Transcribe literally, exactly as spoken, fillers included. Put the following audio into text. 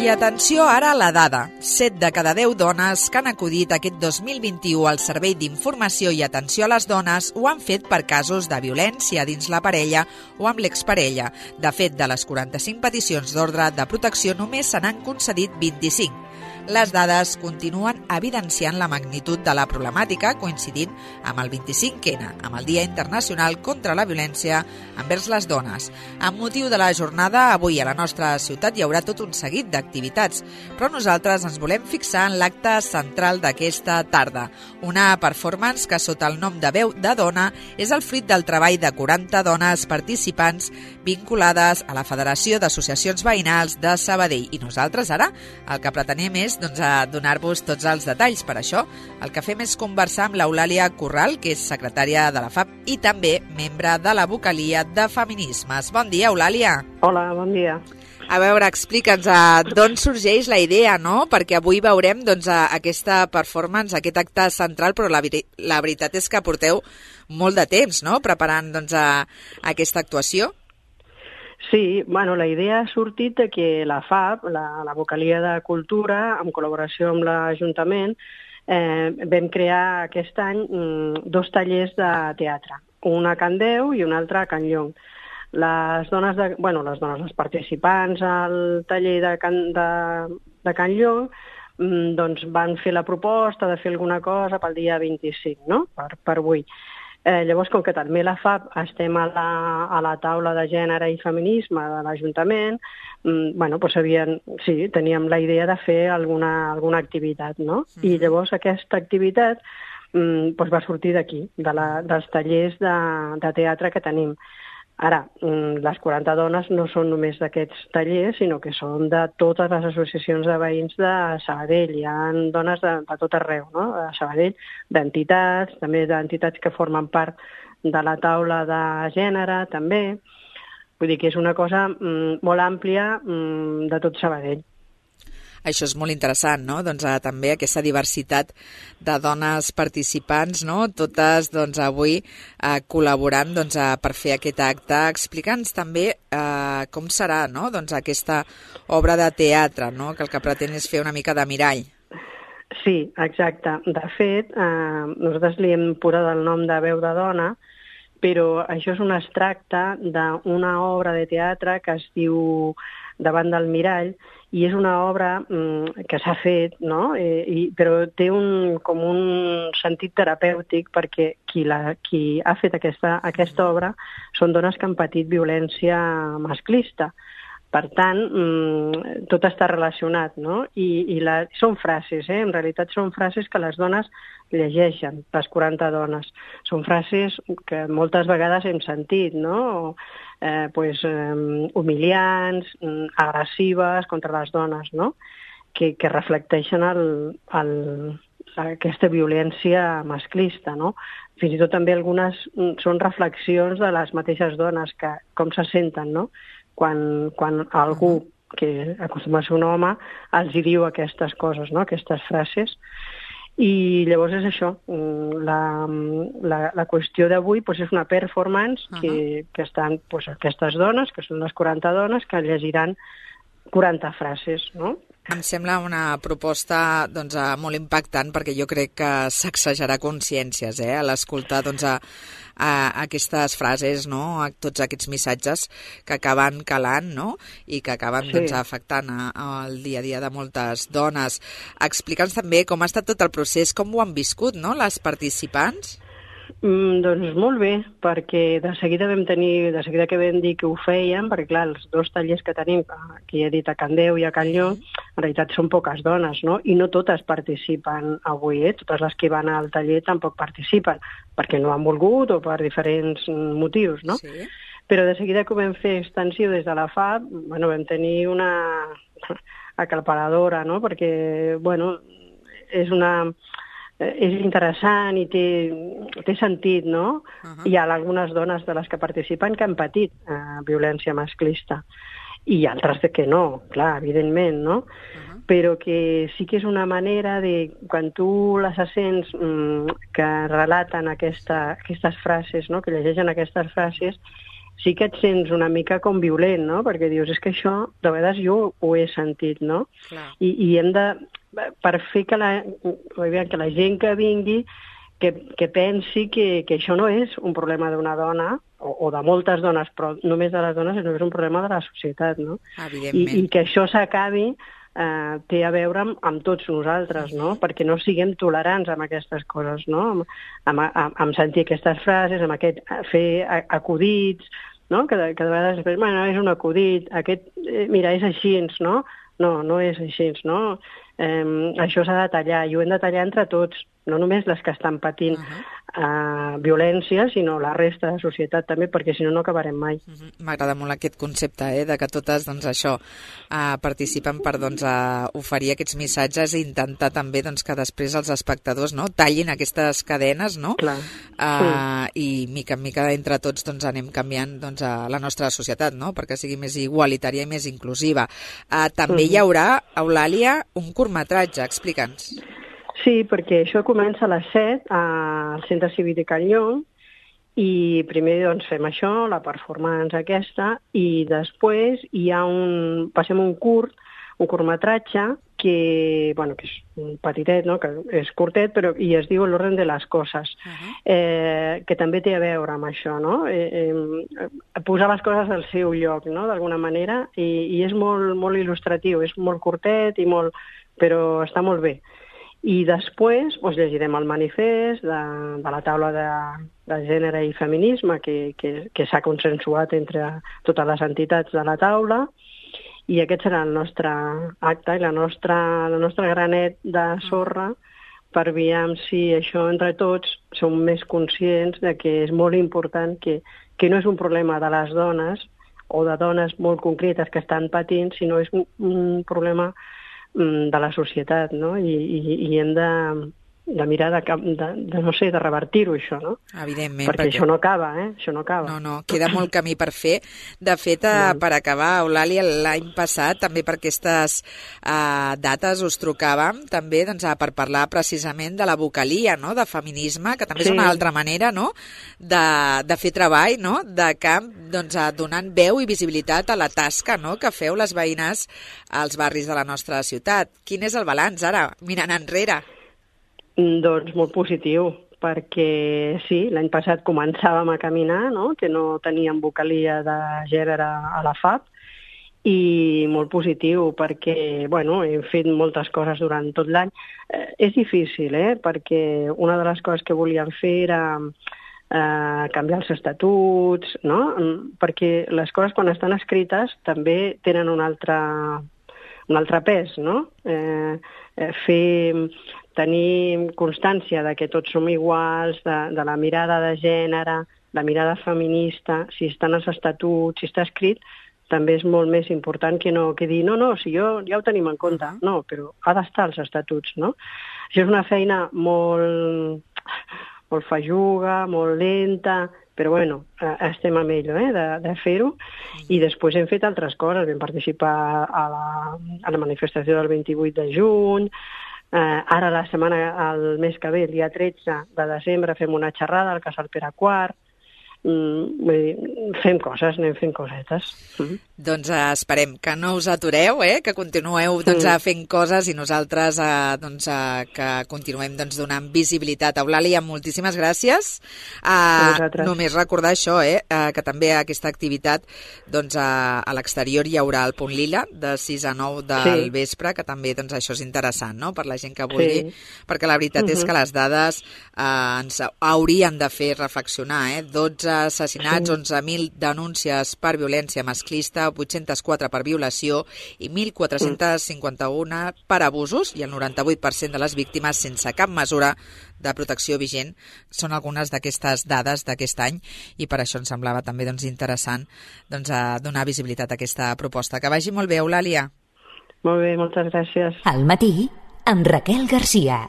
I atenció ara a la dada. set de cada deu dones que han acudit aquest dos mil vint-i-u al Servei d'Informació i Atenció a les Dones ho han fet per casos de violència dins la parella o amb l'exparella. De fet, de les quaranta-cinc peticions d'ordre de protecció només se n'han concedit vint-i-cinc. Les dades continuen evidenciant la magnitud de la problemàtica, coincidint amb el vint-i-cinc ena, amb el Dia Internacional contra la Violència envers les Dones. Amb motiu de la jornada, avui a la nostra ciutat hi haurà tot un seguit d'activitats, però nosaltres ens volem fixar en l'acte central d'aquesta tarda, una performance que sota el nom de Veu de Dona és el fruit del treball de quaranta dones participants vinculades a la Federació d'Associacions Veïnals de Sabadell. I nosaltres ara el que pretenem és doncs, a donar-vos tots els detalls. Per això, el que fem és conversar amb l'Eulàlia Corral, que és secretària de la F A P i també membre de la vocalia de Feminismes. Bon dia, Eulàlia. Hola, bon dia. A veure, explica'ns d'on sorgeix la idea, no? Perquè avui veurem doncs, aquesta performance, aquest acte central, però la, la veritat és que porteu molt de temps, no?, preparant doncs, a, a aquesta actuació. Sí, bueno, la idea ha sortit de que la F A P, la, la vocalia de Cultura, en col·laboració amb l'Ajuntament, eh, vam crear aquest any mm, dos tallers de teatre, un a Can Deu i un altre a Can Llong. Les dones, de, bueno, les dones, els participants al taller de Can, de, de Can Llong mm, doncs van fer la proposta de fer alguna cosa pel dia vint-i-cinc, no?, per, per avui. Eh, llavors, com que també la F A P estem a la, a la taula de gènere i feminisme de l'Ajuntament, mm, bueno, doncs havien, sí, teníem la idea de fer alguna, alguna activitat, no? Mm-hmm. I llavors aquesta activitat mm, doncs va sortir d'aquí, de la, dels tallers de, de teatre que tenim. Ara, les quaranta dones no són només d'aquests tallers, sinó que són de totes les associacions de veïns de Sabadell. Hi ha dones de, de tot arreu, no?, de Sabadell, d'entitats, també d'entitats que formen part de la taula de gènere, també. Vull dir que és una cosa mm, molt àmplia mm, de tot Sabadell. Això és molt interessant, no?, doncs eh, també aquesta diversitat de dones participants, no?, totes doncs avui eh, col·laborant doncs, eh, per fer aquest acte. Explica'ns també eh, com serà, no?, doncs aquesta obra de teatre, no?, que el que pretén és fer una mica de mirall. Sí, exacte. De fet, eh, nosaltres li hem posat el nom de Veu de Dona, però això és un extracte d'una obra de teatre que es diu Davant del mirall, i és una obra mm, que s'ha fet, no?, eh, i, però té un, com un sentit terapèutic perquè qui, la, qui ha fet aquesta, aquesta obra són dones que han patit violència masclista. Per tant, mm, tot està relacionat, no? I, i la, són frases, eh? En realitat són frases que les dones llegeixen, les quaranta dones. Són frases que moltes vegades hem sentit, no?, eh, pues, eh, humiliants, agressives contra les dones, no?, que, que reflecteixen el, el, aquesta violència masclista, no? Fins i tot també algunes són reflexions de les mateixes dones, que com se senten, no?, quan, quan algú que acostuma a ser un home els hi diu aquestes coses, no?, aquestes frases. I llavors és això, la, la, la qüestió d'avui pues, és una performance uh-huh. que, que estan pues, aquestes dones, que són les quaranta dones, que llegiran quaranta frases, no? Em sembla una proposta doncs, molt impactant, perquè jo crec que sacsejarà consciències eh, a l'escoltar doncs, a, a aquestes frases, no?, a tots aquests missatges que acaben calant, no?, i que acaben sí. doncs, afectant el dia a dia de moltes dones. Explica'ns també com ha estat tot el procés, com ho han viscut, no?, les participants. Mm, doncs molt bé, perquè de seguida vam tenir, de seguida que vam dir que ho fèiem, perquè clar, els dos tallers que tenim, que ja he dit a Can Deu i a Can Llong, en realitat són poques dones, no? I no totes participen avui, eh? Totes les que van al taller tampoc participen, perquè no han volgut o per diferents motius, no? Sí. Però de seguida que ho vam fer extensiu des de la F A P, bueno, vam tenir una aclaparadora, no? Perquè, bueno, és una... és interessant i té, té sentit, no? Uh-huh. Hi ha algunes dones de les que participen que han patit eh, violència masclista i altres de que no, clar, evidentment, no? Uh-huh. Però que sí que és una manera de, quan tu les sents mm, que relaten aquesta, aquestes frases, no?, que llegeixen aquestes frases, sí que et sents una mica com violent, no? Perquè dius, és que això, de vegades jo ho he sentit, no? I, i hem de, per fer que la, que la gent que vingui, que, que pensi que, que això no és un problema d'una dona, o, o de moltes dones, però només de les dones, sinó que és un problema de la societat, no? I, i que això s'acabi eh, té a veure amb, amb tots nosaltres, no? Perquè no siguem tolerants amb aquestes coses, no? Amb, amb, amb, amb sentir aquestes frases, amb aquest, fer acudits, no? Que, de, que de vegades després, bueno, és un acudit, aquest, eh, mira, és així, no? No, no és així, no? Eh, això s'ha de tallar, i ho hem de tallar entre tots, no només les que estan patint uh-huh. uh, violència, sinó la resta de la societat també, perquè si no, no acabarem mai. Uh-huh. M'agrada molt aquest concepte, eh, de que totes, doncs, això, uh, participen per, doncs, uh, oferir aquests missatges i intentar també, doncs, que després els espectadors, no?, tallin aquestes cadenes, no? Clar. Uh, sí. I mica en mica entre tots, doncs, anem canviant, doncs, a la nostra societat, no?, perquè sigui més igualitària i més inclusiva. Uh, també uh-huh. hi haurà, Eulàlia, un curtmetratge, explica'ns. Sí, perquè això comença a les set al Centre Cívic de Can Llong i primer doncs, fem això, la performance aquesta, i després hi ha un, passem un curt, un curtmetratge que, bueno, que és un petitet, no? Que és curtet, però i es diu L'orden de les coses, uh-huh. eh, que també té a veure amb això, no? Eh, eh, posar les coses al seu lloc, no? D'alguna manera, i, i és molt, molt il·lustratiu, és molt curtet, i molt, però està molt bé. I després doncs, llegirem el manifest de, de la taula de, de gènere i feminisme que, que, que s'ha consensuat entre totes les entitats de la taula, i aquest serà el nostre acte i la nostra, la nostra granet de sorra per veure si això entre tots som més conscients de que és molt important, que, que no és un problema de les dones o de dones molt concretes que estan patint, sinó és un, un problema de la societat, no? I, i, i hem de, de mirar de, de, de, no sé, de revertir-ho, això, no? Evidentment. Perquè, perquè això no acaba, eh? Això no acaba. No, no, queda molt camí per fer. De fet, eh, per acabar, Eulàlia, l'any passat, també per aquestes eh, dates us trucàvem, també doncs, per parlar precisament de la vocalia, no?, de feminisme, que també sí. és una altra manera, no?, de, de fer treball, no?, de camp, doncs, donant veu i visibilitat a la tasca, no?, que feu les veïnes als barris de la nostra ciutat. Quin és el balanç, ara, mirant enrere? Doncs molt positiu, perquè sí, l'any passat començàvem a caminar, no?, que no teníem vocalia de gènere a la F A P, i molt positiu perquè, bueno, hem fet moltes coses durant tot l'any. Eh, és difícil, eh?, perquè una de les coses que volíem fer era eh, canviar els estatuts, no?, perquè les coses quan estan escrites també tenen un altre, un altre pes, no?, eh, eh, fer... tenir constància de que tots som iguals, de, de la mirada de gènere, la mirada feminista, si estan els estatuts, si està escrit, també és molt més important que no que dir, no, no, si jo ja ho tenim en compte. No, però ha d'estar als estatuts, no? Això és una feina molt, molt fajuga, molt lenta, però bueno, estem amb ello, eh, de, de fer-ho, i després hem fet altres coses, vam participar a la, a la manifestació del vint-i-vuit de juny. Uh, ara la setmana, el mes que ve, el dia tretze de desembre, fem una xerrada al Casal Pere quart. Mm, vull dir, fem coses, anem fent cosetes. Mm. Doncs uh, esperem que no us atureu, eh? Que continueu doncs, mm. fent coses i nosaltres uh, doncs, uh, que continuem doncs, donant visibilitat. Eulàlia, moltíssimes gràcies. Uh, només recordar això, eh? Uh, que també aquesta activitat doncs, uh, a l'exterior hi haurà el Punt Lila de sis a nou del sí. vespre, que també doncs, això és interessant, no?, per la gent que vulgui, sí. perquè la veritat uh-huh. és que les dades uh, ens haurien de fer reflexionar, eh? dotze assassinats, sí. onze mil denúncies per violència masclista, vuit-cents quatre per violació i mil quatre-cents cinquanta-un per abusos, i el noranta-vuit per cent de les víctimes sense cap mesura de protecció vigent. Són algunes d'aquestes dades d'aquest any, i per això ens semblava també doncs, interessant doncs, a donar visibilitat a aquesta proposta. Que vagi molt bé, Eulàlia. Molt bé, moltes gràcies. Al matí, amb Raquel Garcia.